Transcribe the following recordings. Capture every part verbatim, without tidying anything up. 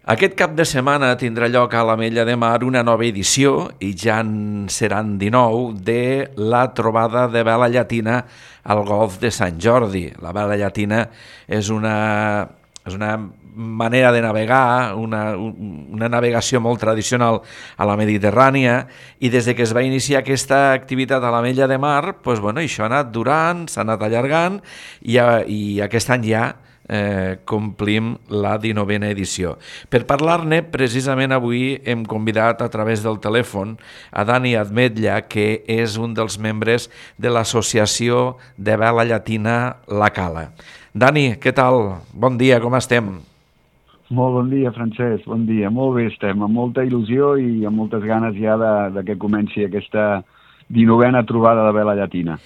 Aquest cap de setmana tindrà lloc a l'Ametlla de Mar una nova edició, i ja en seran dinou, de la trobada de vela llatina al Golf de Sant Jordi. La vela llatina és una, és una manera de navegar, una, una navegació molt tradicional a la Mediterrània, i des de que es va iniciar aquesta activitat a l'Ametlla de Mar, doncs, bueno, això ha anat durant, s'ha anat allargant, i, i aquest any ja Eh, complim la dinovena edició. Per parlar-ne, precisament avui hem convidat a través del telèfon a Dani Admetlla, que és un dels membres de l'associació de vela llatina La Cala. Dani, què tal? Bon dia, com estem? Molt bon dia, Francesc, bon dia. Molt bé estem, amb molta il·lusió i amb moltes ganes ja de, de que comenci aquesta dinovena trobada de vela llatina.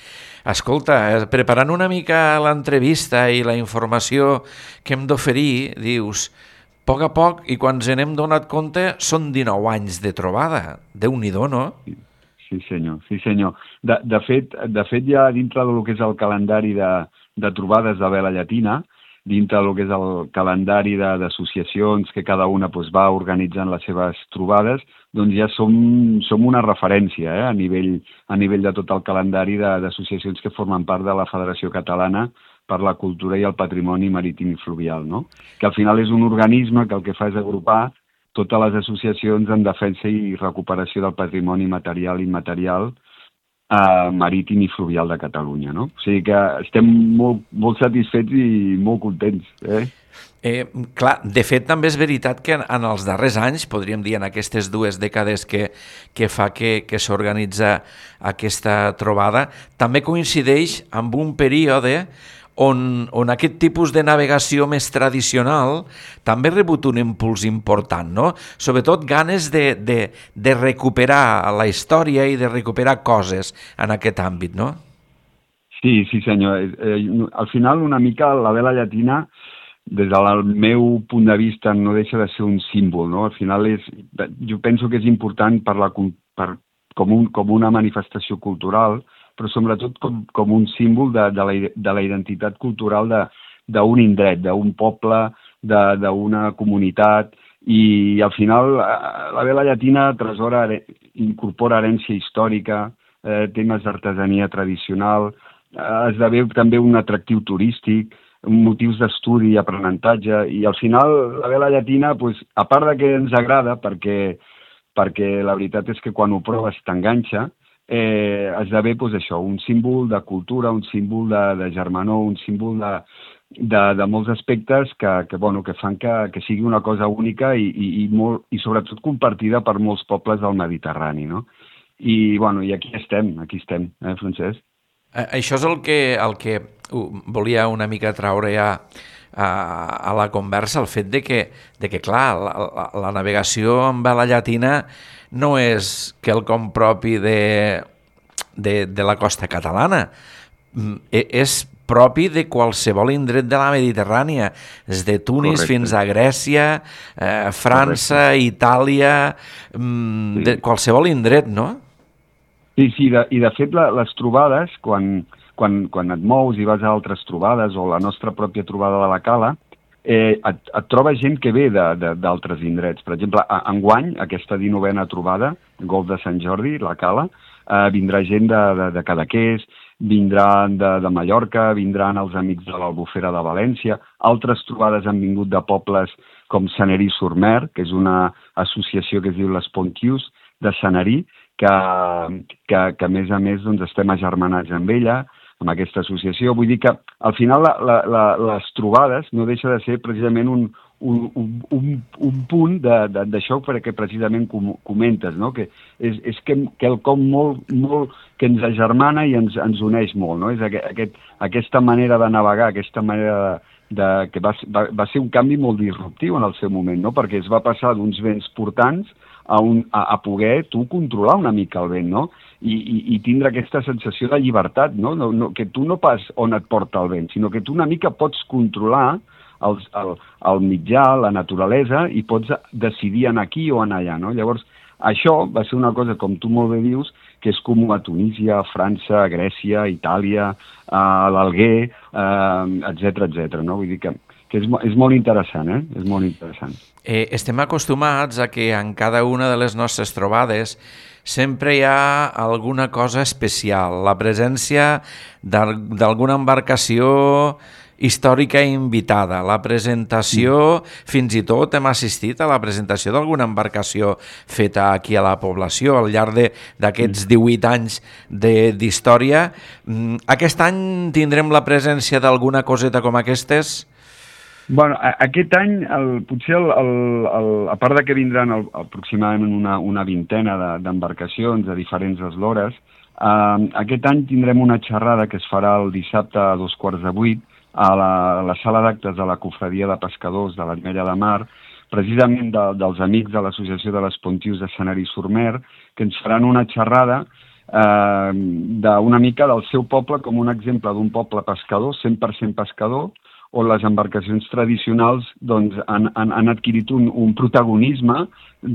Escolta, preparant una mica l'entrevista i la informació que hem d'oferir, dius, a poc a poc, i quan ens n'hem donat compte, són dinou anys de trobada. Déu-n'hi-do, no? Sí, senyor, sí, senyor. De, de, fet, de fet, ja dintre del que és el calendari de, de trobades de vela llatina, dintre del que és el calendari d'associacions que cada una doncs, va organitzant les seves trobades, doncs ja som, som una referència eh, a, nivell, a nivell de tot el calendari d'associacions que formen part de la Federació Catalana per la Cultura i el Patrimoni Marítim i Fluvial, no? Que al final és un organisme que el que fa és agrupar totes les associacions en defensa i recuperació del patrimoni material i immaterial eh, marítim i fluvial de Catalunya, no? O sigui que estem molt, molt satisfets i molt contents, eh? Eh, clar, de fet també és veritat que en, en els darrers anys, podríem dir en aquestes dues dècades que, que fa que, que s'organitza aquesta trobada, també coincideix amb un període on, on aquest tipus de navegació més tradicional també ha rebut un impuls important, no? Sobretot ganes de, de, de recuperar la història i de recuperar coses en aquest àmbit, no? Sí, sí senyor. Eh, al final una mica la vela llatina, des del meu punt de vista, no deixa de ser un símbol, no? Al final és, jo penso que és important per la, per, com, un, com una manifestació cultural, però sobretot com, com un símbol de, de, la, de la identitat cultural d'un indret, d'un poble, d'una comunitat, i al final la vela llatina tresora, incorpora herència històrica, eh, temes d'artesania tradicional, eh, esdevé també un atractiu turístic, motius d'estudi i aprenentatge, i al final la vela llatina, pues, a part de que ens agrada, perquè, perquè la veritat és que quan ho proves t'enganxa, eh, esdevé pues, això, un símbol de cultura, un símbol de, de germanor, un símbol de, de, de molts aspectes que, que, bueno, que fan que, que sigui una cosa única i, i, i, molt, i sobretot compartida per molts pobles del Mediterrani, no? I, bueno, i aquí estem, aquí estem, eh, Francesc? Això és el que, el que volia una mica traure ja a, a la conversa, el fet de que, de que clar, la, la, la navegació amb vela llatina no és quelcom propi de, de, de la costa catalana, és propi de qualsevol indret de la Mediterrània, des de Tunis Correcte. Fins a Grècia, eh, França, Correcte. Itàlia, mm, sí. de qualsevol indret, no? Sí, sí, de, i de fet la, les trobades, quan, quan, quan et mous i vas a altres trobades o la nostra pròpia trobada de la Cala, eh, et, et troba gent que ve d'altres indrets. Per exemple, enguany, aquesta dinovena trobada, Golf de Sant Jordi, la Cala, eh, vindrà gent de, de, de Cadaqués, vindran de, de Mallorca, vindran els amics de l'Albufera de València, altres trobades han vingut de pobles com Senerí-sur-Mer, que és una associació que es diu les Pontius de Senerí, que, que, que a més a més doncs, estem agermanats amb ella, amb aquesta associació. Vull dir que al final la, la, la, les trobades no deixa de ser precisament un, un, un, un punt d'això perquè precisament com, comentes, no? Que és, és que, quelcom molt, molt que ens agermana i ens, ens uneix molt, no? És aquest, aquesta manera de navegar, aquesta manera de, de, que va, va, va ser un canvi molt disruptiu en el seu moment, no? Perquè es va passar d'uns vents portants A, un, a, a poder tu controlar una mica el vent, no? I, i, i tindre aquesta sensació de llibertat, no? No, no? Que tu no pas on et porta el vent, sinó que tu una mica pots controlar els, el, el mitjà, la naturalesa, i pots decidir anar aquí o anar allà, no? Llavors, això va ser una cosa, com tu molt bé dius, que és comú a Tunísia, a França, a Grècia, a Itàlia, a l'Alguer, eh, etcètera, etcètera, no? Vull dir que que és, és molt interessant, eh? És molt interessant. Eh, estem acostumats a que en cada una de les nostres trobades sempre hi ha alguna cosa especial, la presència d'alguna embarcació històrica invitada, la presentació, fins i tot hem assistit a la presentació d'alguna embarcació feta aquí a la població al llarg d'aquests divuit anys d'història. Aquest any tindrem la presència d'alguna coseta com aquestes? Bueno, aquest any, el, potser, el, el, el, a part de que vindran el, aproximadament una, una vintena d'embarcacions de, de diferents eslores, eh, aquest any tindrem una xerrada que es farà el dissabte a dos quarts de vuit a la, a la sala d'actes de la Cofradia de Pescadors de l'Ametlla de Mar, precisament de, dels amics de l'Associació de l'Espontius de Senar i Surmer, que ens faran una xerrada eh, d'una mica del seu poble com un exemple d'un poble pescador, cent per cent pescador, on les embarcacions tradicionals doncs, han, han, han adquirit un, un protagonisme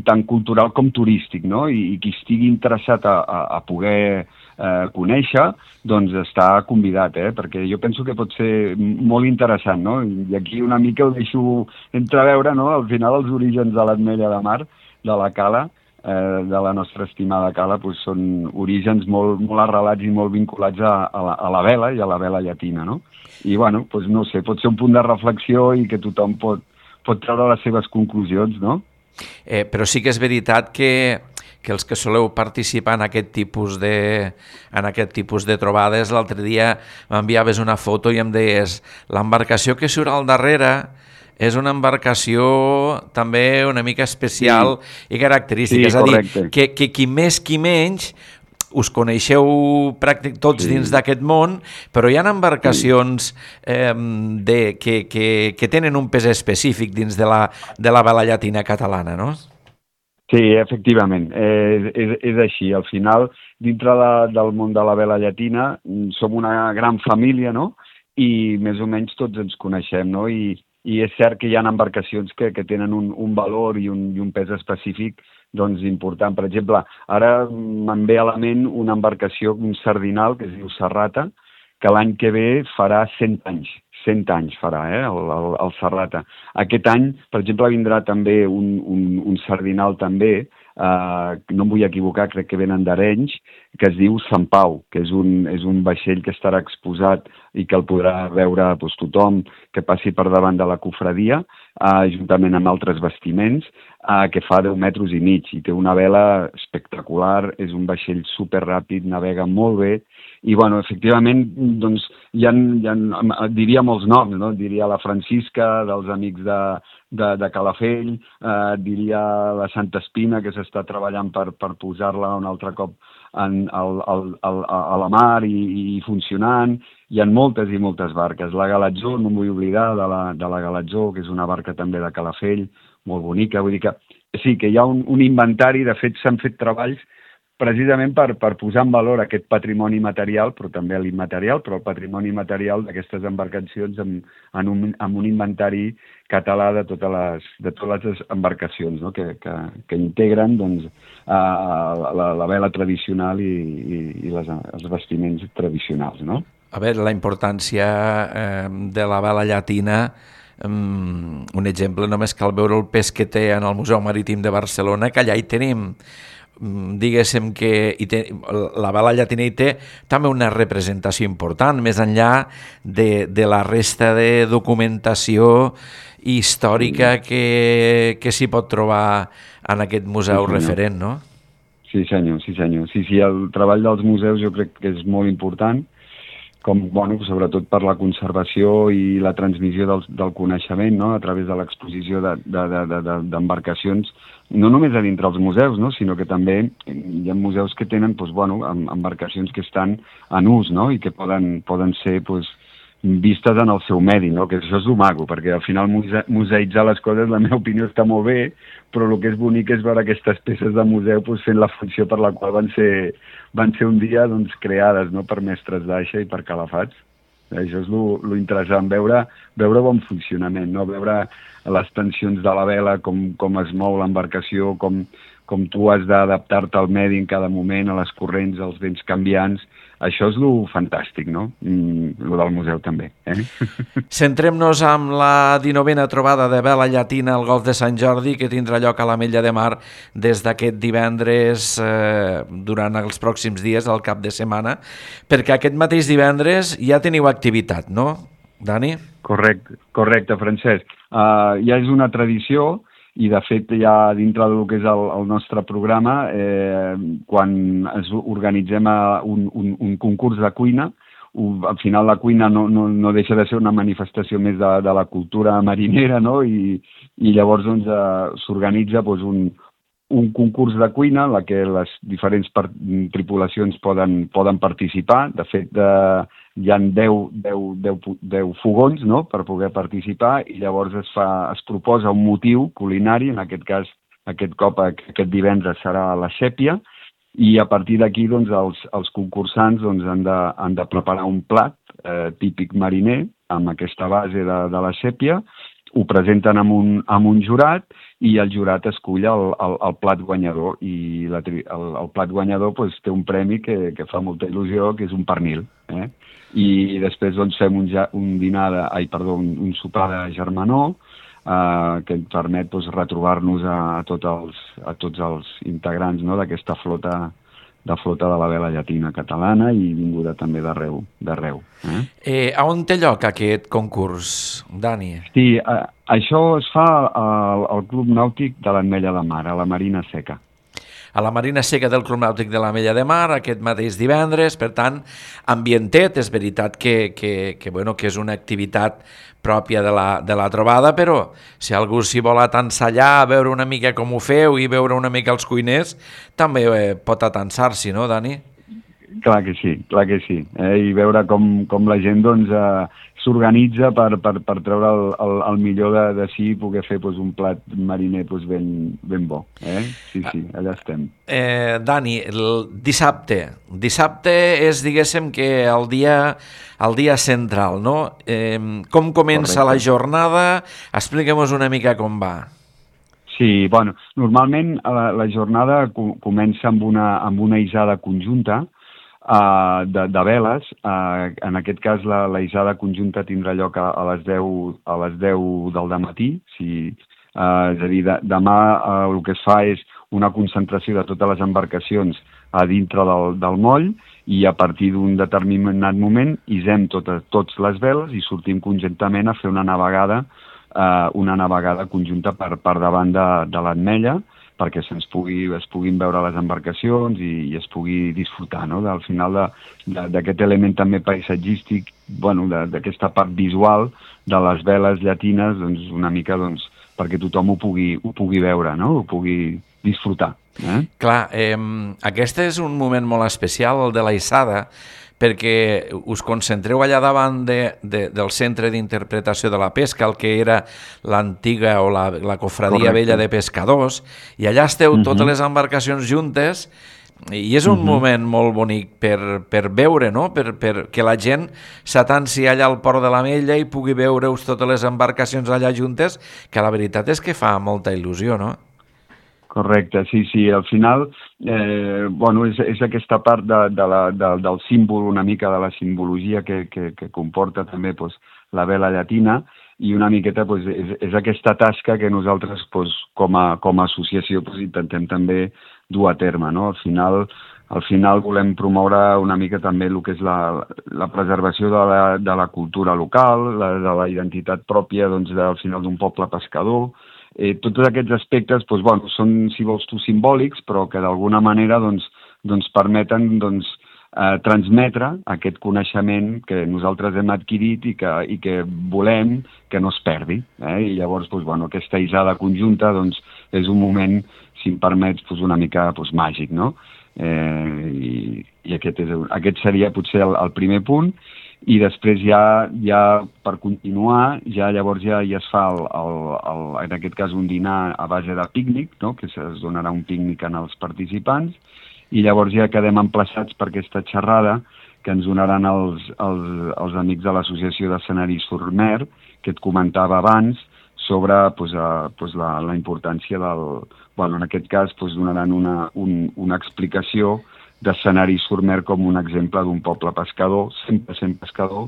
tant cultural com turístic, no? I, i qui estigui interessat a, a, a poder eh, conèixer, doncs està convidat, eh? Perquè jo penso que pot ser molt interessant, no? I aquí una mica ho deixo entreveure, no? Al final els orígens de l'Ametlla de Mar, de la cala, eh, de la nostra estimada cala, doncs són orígens molt, molt arrelats i molt vinculats a, a, la, a la vela i a la vela llatina, no? I, bueno, doncs no sé, pot ser un punt de reflexió i que tothom pot, pot treure les seves conclusions, no? Eh, però sí que és veritat que, que els que soleu participar en aquest tipus de, en aquest tipus de trobades, l'altre dia m'enviaves una foto i em deies l'embarcació que surt al darrere és una embarcació també una mica especial sí. i característica. Sí, és a dir, que, que qui més qui menys us coneixeu pràctic tots sí. dins d'aquest món, però hi ha embarcacions eh, de, que, que, que tenen un pes específic dins de la, de la vela llatina catalana, no? Sí, efectivament, eh, és, és així. Al final, dintre de, del món de la vela llatina, som una gran família, no? I més o menys tots ens coneixem, no? I, i és cert que hi ha embarcacions que, que tenen un, un valor i un, i un pes específic doncs important. Per exemple, ara me'n ve a la ment una embarcació, un sardinal, que es diu Serrata, que l'any que ve farà cent anys. cent anys farà, eh, el, el, el Serrata. Aquest any, per exemple, vindrà també un, un, un sardinal també, eh, no em vull equivocar, crec que venen d'Arenys, que es diu Sant Pau, que és un, és un vaixell que estarà exposat i que el podrà veure doncs, tothom que passi per davant de la cofradia, eh, juntament amb altres bastiments, eh, que fa deu metres i mig i té una vela espectacular, és un vaixell superràpid, navega molt bé i, bueno, efectivament, doncs, hi ha, hi ha, diria molts noms, no? Diria la Francisca, dels amics de, de, de Calafell, eh, diria la Santa Espina, que s'està treballant per, per posar-la un altre cop en, al, al, al, a la mar i, i funcionant. Hi ha moltes i moltes barques. La Galatzó, no em vull oblidar de la, de la Galatzó, que és una barca també de Calafell, molt bonica. Vull dir que sí, que hi ha un, un inventari, de fet s'han fet treballs precisament per, per posar en valor aquest patrimoni material, però també l'immaterial, però el patrimoni material d'aquestes embarcacions en, en, un, en un inventari català de totes les, de totes les embarcacions, no? que, que, que integren doncs, a, a la, la vela tradicional i, i, i les, els vestiments tradicionals. No? A veure, la importància eh, de la vela llatina, um, un exemple només cal veure el pes que té en el Museu Marítim de Barcelona, que allà hi tenim diguéssim que hi té, la vela llatina hi té també una representació important, més enllà de, de la resta de documentació històrica que, que s'hi pot trobar en aquest museu sí, referent, no? Sí, senyor, sí, senyor. Sí, sí, el treball dels museus jo crec que és molt important, com, bueno, sobretot per la conservació i la transmissió del, del coneixement, no?, a través de l'exposició d'embarcacions, de, de, de, no només a dintre els museus, no?, sinó que també hi ha museus que tenen doncs, bueno, embarcacions que estan en ús, no?, i que poden, poden ser doncs, vistes en el seu medi, no?, que això és el maco, perquè al final muse museïtzar les coses, la meva opinió, està molt bé, però el que és bonic és veure aquestes peces de museu doncs, fent la funció per la qual van ser, van ser un dia doncs, creades, no?, per mestres d'aixa i per calafats. Això és lo interessant, veure, veure bon funcionament, no? Veure les tensions de la vela, com, com es mou l'embarcació, com, com tu has d'adaptar-te al medi en cada moment, a les corrents, als vents canviants, això és lo fantàstic, no? Mm, lo del museu també. Eh? Centrem-nos amb la dinovena trobada de vela llatina al Golf de Sant Jordi, que tindrà lloc a l'Ametlla de Mar des d'aquest divendres eh, durant els pròxims dies, al cap de setmana, perquè aquest mateix divendres ja teniu activitat, no, Dani? Correcte, correcte, Francesc. Uh, ja és una tradició i, de fet, ja dintre del que és el, el nostre programa, eh, quan es organitzem un, un, un concurs de cuina, al final la cuina no, no, no deixa de ser una manifestació més de, de la cultura marinera, no? I, i llavors doncs, eh, s'organitza doncs, un, un concurs de cuina en la que les diferents per, tripulacions poden, poden participar. De fet, eh, hi ha deu, deu, deu, deu fogons, no?, per poder participar, i llavors es, fa, es proposa un motiu culinari, en aquest cas, aquest cop, aquest divendres serà la sèpia, i a partir d'aquí doncs, els, els concursants doncs, han, de, han de preparar un plat eh, típic mariner amb aquesta base de, de la sèpia, ho presenten amb un, amb un jurat i el jurat escull el, el, el plat guanyador, i la, el, el plat guanyador doncs, té un premi que, que fa molta il·lusió, que és un pernil. Eh? I després doncs, fem un, un dinar, de, ai, perdó, un, un sopar de germanor, eh, que ens permet doncs, retrobar-nos a, a, tot els, a tots els integrants, no?, d'aquesta flota de flota de la vela llatina catalana i vinguda també d'arreu. d'arreu eh? Eh, a on té lloc aquest concurs, Dani? Sí, eh, això es fa al, al Club Nàutic de l'Ametlla de Mar, a la Marina Seca. A la Marina Seca del Club Nàutic de l'Ametlla de Mar, aquest mateix divendres, per tant, ambientet, és veritat que, que, que, bueno, que és una activitat pròpia de la, de la trobada, però si algú s'hi vol atansar allà, veure una mica com ho feu i veure una mica els cuiners, també eh, pot atansar-s'hi, no, Dani? Clar que sí, clar que sí. Eh? I veure com, com la gent doncs, eh, s'organitza per, per, per treure el, el, el millor de, de si i poder fer doncs, un plat mariner doncs, ben, ben bo. Eh? Sí, sí, allà estem. Eh, Dani, el dissabte. Dissabte és, diguéssim, que el dia, el dia central, no? Eh, com comença Correcte. La jornada? Expliquem-nos una mica com va. Sí, bueno, normalment la, la jornada comença amb una, amb una isada conjunta, Uh, de, de veles. Uh, en aquest cas la, la isada conjunta tindrà lloc a, a les deu a les deu del dematí. Sí, uh, és a dir, de, demà uh, el que es fa és una concentració de totes les embarcacions a dintre del, del moll, i a partir d'un determinat moment isem totes, tots les veles i sortim conjuntament a fer una navegada uh, una navegada conjunta per, per davant de, de l'Ametlla, perquè se'ns pugui, es puguin veure les embarcacions i, i es pugui disfrutar, no?, al final d'aquest element també paisatgístic, bueno, d'aquesta part visual de les veles llatines, doncs una mica doncs, perquè tothom ho pugui, ho pugui veure, no?, ho pugui disfrutar. Eh? Clar, eh, aquest és un moment molt especial, el de la Issada, perquè us concentreu allà davant de, de, del centre d'interpretació de la pesca, el que era l'antiga o la, la cofradia Correcte. Vella de pescadors, i allà esteu uh-huh. totes les embarcacions juntes, i és un uh-huh. moment molt bonic per, per veure, no?, per, per que la gent s'atansi allà al port de l'Ametlla i pugui veure-us totes les embarcacions allà juntes, que la veritat és que fa molta il·lusió, no? Correcte, sí, sí. Al final, eh, bueno, és, és aquesta part de, de la, de, del símbol, una mica de la simbologia que, que, que comporta també pues, la vela llatina, i una miqueta pues, és, és aquesta tasca que nosaltres pues, com, a, com a associació pues, intentem també dur a terme, no? Al final, al final volem promoure una mica també el que és la, la preservació de la, de la cultura local, la, de la identitat pròpia doncs, al final d'un poble pescador. Eh, tots aquests aspectes doncs, bueno, són, si vols tu, simbòlics, però que d'alguna manera doncs, doncs permeten doncs, eh, transmetre aquest coneixement que nosaltres hem adquirit i que, i que volem que no es perdi. Eh? I llavors doncs, bueno, aquesta isada conjunta doncs, és un moment, si em permets, doncs, una mica doncs, màgic, no? Eh, I i aquest, és, aquest seria potser el, el primer punt. I després ja, ja per continuar, ja llavors ja, ja es fa, el, el, el, en aquest cas, un dinar a base de pícnic, no?, que es donarà un pícnic als participants, i llavors ja quedem emplaçats per aquesta xerrada que ens donaran els, els, els amics de l'Associació d'Escenaris Surmer, que et comentava abans, sobre pues, a, pues, la, la importància del... Bueno, en aquest cas pues, donaran una, un, una explicació d'escenari Surmer com un exemple d'un poble pescador, cent per cent pescador,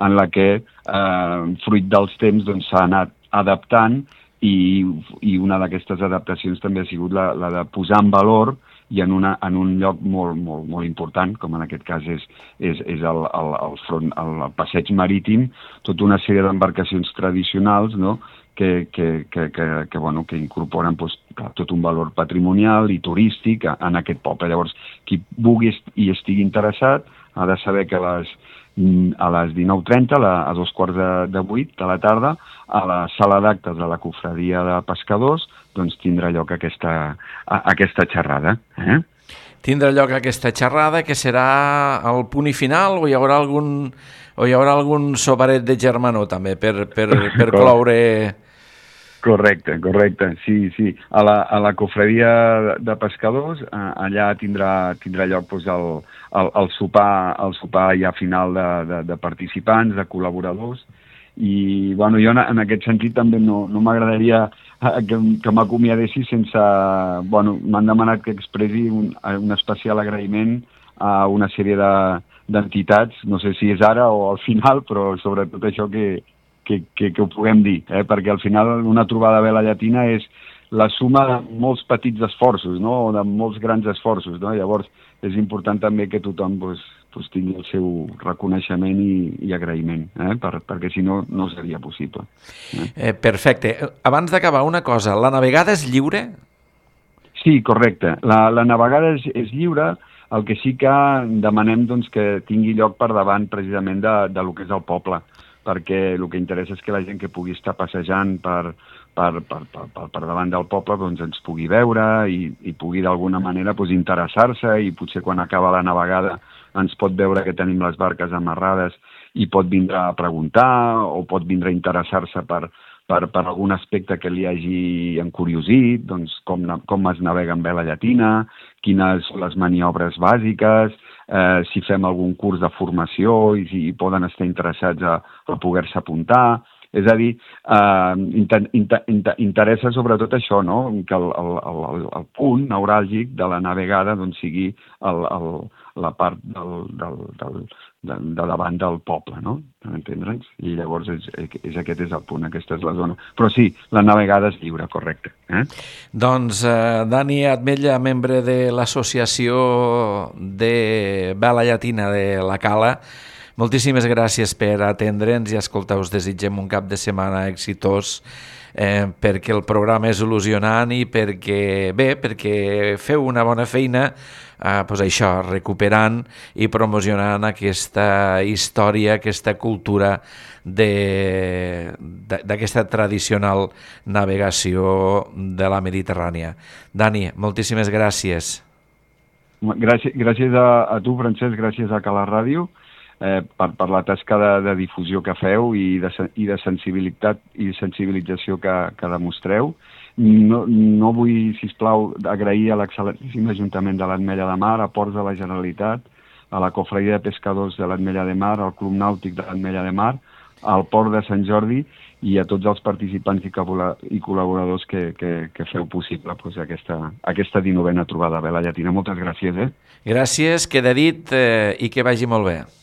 en la que, eh, fruit dels temps, doncs, s'ha anat adaptant i, i una d'aquestes adaptacions també ha sigut la, la de posar en valor i en, una, en un lloc molt, molt, molt important, com en aquest cas és, és, és el, el, el, front, el, el passeig marítim, tota una sèrie d'embarcacions tradicionals, no?, que, que, que, que, que, bueno, que incorporen doncs, tot un valor patrimonial i turístic en aquest poble. Llavors, qui vulgui i estigui interessat ha de saber que a les, a les dinou trenta, a dos quarts de, de vuit de la tarda, a la sala d'actes de la Cofradia de Pescadors, doncs tindrà lloc aquesta, aquesta xerrada. Eh? Tindrà lloc aquesta xerrada, que serà el punt i final, o hi haurà algun, o hi haurà algun soparet de germanor també per, per, per cloure... Correcte, correcte, sí, sí. A la, a la Cofradia de Pescadors, allà tindrà, tindrà lloc doncs, el, el, el, sopar, el sopar ja final de, de, de participants, de col·laboradors, i bueno, jo en, en aquest sentit també no, no m'agradaria que, que m'acomiadessi sense... Bueno, m'han demanat que expressi un, un especial agraïment a una sèrie de, d'entitats, no sé si és ara o al final, però sobretot això que Que, que, que ho puguem dir, eh? Perquè al final una trobada vela llatina és la suma de molts petits esforços, no?, o de molts grans esforços, no? Llavors és important també que tothom pues, pues, tingui el seu reconeixement i, i agraïment, eh? per, perquè si no, no seria possible. Eh? Eh, perfecte. Abans d'acabar, una cosa, la navegada és lliure? Sí, correcte. La, la navegada és, és lliure, el que sí que demanem doncs, que tingui lloc per davant precisament de, de lo que és el poble, perquè el que interessa és que la gent que pugui estar passejant per, per, per, per, per, per davant del poble doncs ens pugui veure i, i pugui d'alguna manera doncs, interessar-se, i potser quan acaba la navegada ens pot veure que tenim les barques amarrades i pot vindre a preguntar o pot vindre a interessar-se per, per, per algun aspecte que li hagi encuriosit, doncs com, com es navega en vela llatina, quines són les maniobres bàsiques, Eh, si fem algun curs de formació i si poden estar interessats a, a poder-se apuntar. És a dir, eh, inter, inter, inter, interessa sobretot això, no?, que el, el, el, el punt neuràlgic de la navegada doncs, sigui el, el, la part del, del, del, de, de davant del poble, no?, per entendre'ns? I llavors és, és, aquest és el punt, aquesta és la zona. Però sí, la navegada és lliure, correcte. Eh? Doncs eh, Dani Atmetlla, membre de l'Associació de Vela Llatina de la Cala, moltíssimes gràcies per atendre'ns i escoltar, us desitgem un cap de setmana exitós, eh, perquè el programa és il·lusionant i perquè, bé, perquè feu una bona feina, eh, doncs això, recuperant i promocionant aquesta història, aquesta cultura d'aquesta tradicional navegació de la Mediterrània. Dani, moltíssimes gràcies. Gràcies, gràcies a, a tu, Francesc, gràcies a Cala Ràdio, Eh, per, per la tasca de, de difusió que feu i de, i de sensibilitat i sensibilització que, que demostreu. No, no vull, sisplau, agrair a l'excel·lentíssim Ajuntament de l'Ametlla de Mar, a Ports de la Generalitat, a la Cofradia de Pescadors de l'Ametlla de Mar, al Club Nàutic de l'Ametlla de Mar, al Port de Sant Jordi i a tots els participants i, i col·laboradors que, que, que feu possible pues, aquesta, aquesta dinovena trobada vela llatina. Moltes gràcies. Eh? Gràcies, queda dit eh, i que vagi molt bé.